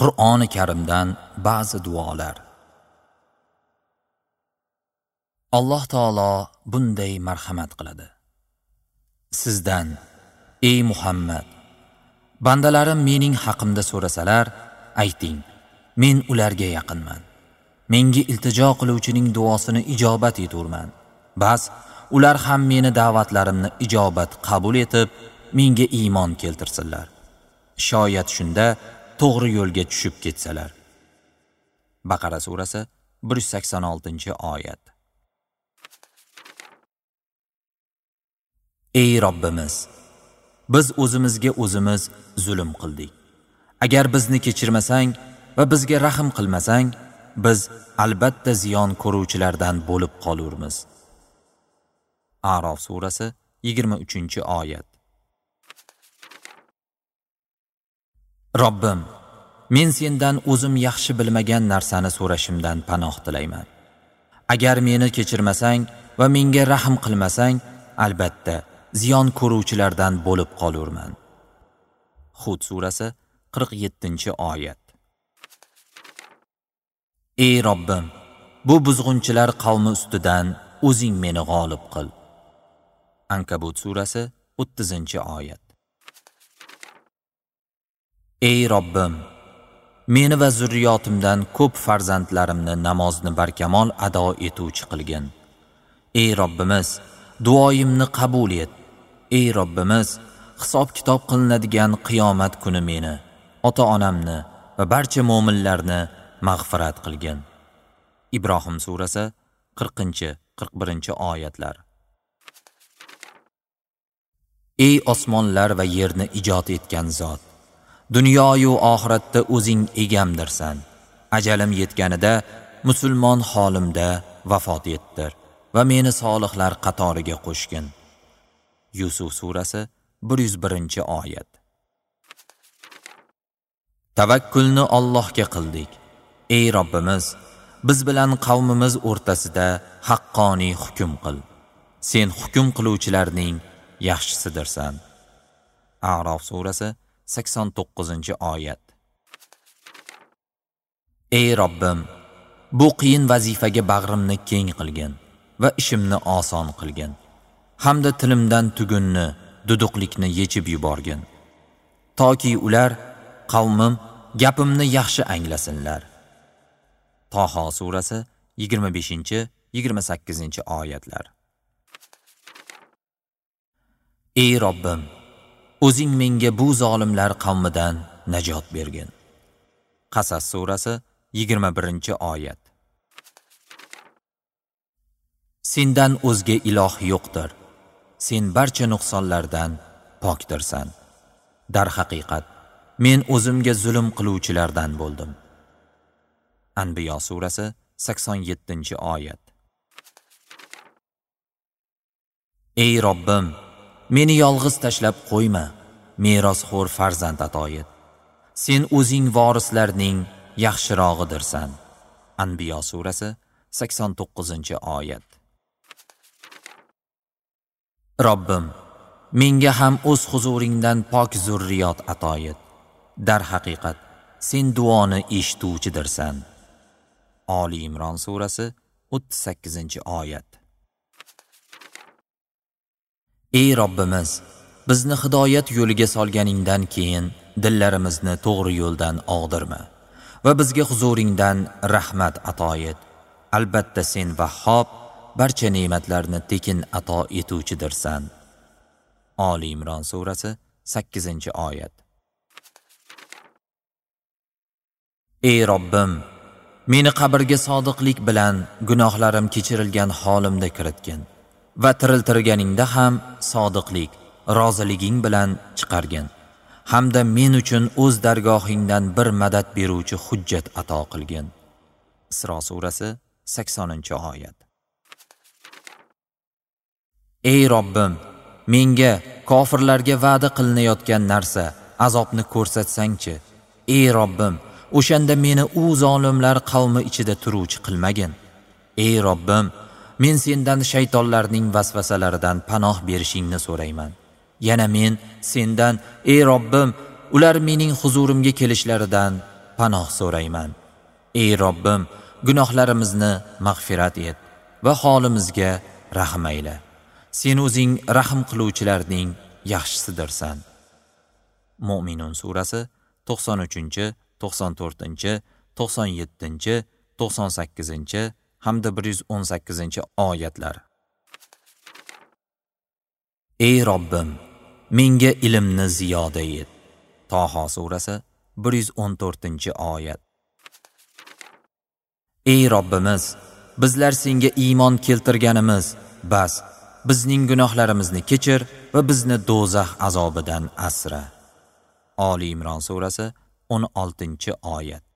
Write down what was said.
Qur'oni Karimdan ba'zi duolar. Alloh taolo bunday marhamat qiladi. Sizdan, ey Muhammad, bandalarim mening haqimda so'rasalar, ayting, men ularga yaqinman. Menga iltijo qiluvchining duosini ijobat eturman. Bas, ular ham meni da'vatlarimni ijobat qabul etib, menga iymon keltirsinlar. Shoyat shunda to'g'ri yo'lga tushib ketsalar. Baqara surasi 186-oyat. Ey Robbimiz, biz o'zimizga o'zimiz zulm qildik. Agar bizni kechirmasang va bizga rahm qilmasang, biz albatta ziyon ko'ruvchilardan bo'lib qolurmiz. A'rof surasi 23-oyat. Robbim, men sendan o'zim yaxshi bilmagan narsani so'rashimdan panoh tilayman. Agar meni kechirmasang va menga rahm qilmasang, albatta ziyon ko'ruvchilardan bo'lib qolurman. Hud surasi 47-oyat. Ey Robbim, bu buzg'unchilar qavmi ustidan o'zing meni g'olib qil. Ankabut surasi 30-oyat. Ey Robbim, meni va zurriyotimdan ko'p farzandlarimni namozni barkamol ado etuvchi qilgin. Ey Robbimiz, duoyimni qabul et. Ey Robbimiz, hisob-kitob qilinadigan qiyomat kuni meni, ota-onamni va barcha mo'minlarni mag'firat qilgin. Ibrohim surasi 40-41 oyatlar. Ey osmonlar va yerni ijod etgan zot, dunyo-yu oxiratda o'zing egamdirsan. Ajalim yetganida musulmon holimda vafot ettir va meni solihlar qatoriga qo'shgin. Yusuf surasi 101-oyat. Tavakkulni Allohga qildik. Ey Robbimiz, biz bilan qavmimiz o'rtasida haqqoniy hukm qil. Sen hukm qiluvchilarning yaxshisidirsan. A'rof surasi 89-oyat. Ey Robbim, bu qiyin vazifaga bag'rimni keng qilgin va ishimni oson qilgin. Hamda tilimdan tugunni, duduqlikni yechib yuborgin. Toki ular, qavmim, gapimni yaxshi anglasinlar. Taho surasi 25-28 oyatlar. Ey Robbim, o'zing menga bu zolimlar qavmidan najot bergin. Qasas surasi 21-oyat. Sendan o'zga iloh yo'qdir. Sen barcha nuqsonlardan pokdirsan. Darhaqiqat, men o'zimga zulm qiluvchilardan bo'ldim. Anbiyo surasi 87-oyat. Ey Robbim, meni yolg'iz tashlab qo'yma, merosxo'r farzand ato et. Sen o'zing vorislarning yaxshirog'idirsan. Anbiyo surasi 89-oyat. Robbim, menga ham o'z huzuringdan pok zurriyot ato et. Darhaqiqat, sen duoni eshituvchidirsan. Oli Imron surasi 38-oyat. Ey Robbimiz, bizni hidoyat yo'liga solganingdan keyin dillarimizni to'g'ri yo'ldan og'dirma va bizga huzuringdan rahmat ato et. Albatta sen Vahhob, barcha ne'matlarni tekin ato etuvchidirsan. Oli Imron surasi 8-oyat. Ey Robbim, meni qabrga sodiqlik bilan gunohlarim kechirilgan holimda kiritgin va tiriltirganingda ham sodiqlik, roziliging bilan chiqargin. Hamda men uchun o'z dargohingdan bir madad beruvchi hujjat ato qilgin. Isro surasi 80-oyat. Ey Robbim, menga kofirlarga va'da qilinayotgan narsa, azobni ko'rsatsangchi. Ey Robbim, o'shanda meni u zolimlar qavmi ichida turuvchi qilmagin. Ey Robbim, men sendan shaytonlarning vasvasalaridan panoh berishingni so'rayman. Yana men sendan, ey Robbim, ular mening huzurimga kelishlaridan panoh so'rayman. Ey Robbim, gunohlarimizni mag'firat et va holimizga rahm ayla. Sen o'zing rahm qiluvchilarning yaxshisidirsan. Mo'minun surasi 93, 94, 97, 98 hamda 118 oyatlar. Ey Robbim, menga ilmni ziyoda et. Toho surasi 114-oyat. Ey Robbimiz, bizlar senga iymon keltirganimiz, bas, bizning gunohlarimizni kechir va bizni do'zax azobidan asra. Oli Imron surasi 16-oyat.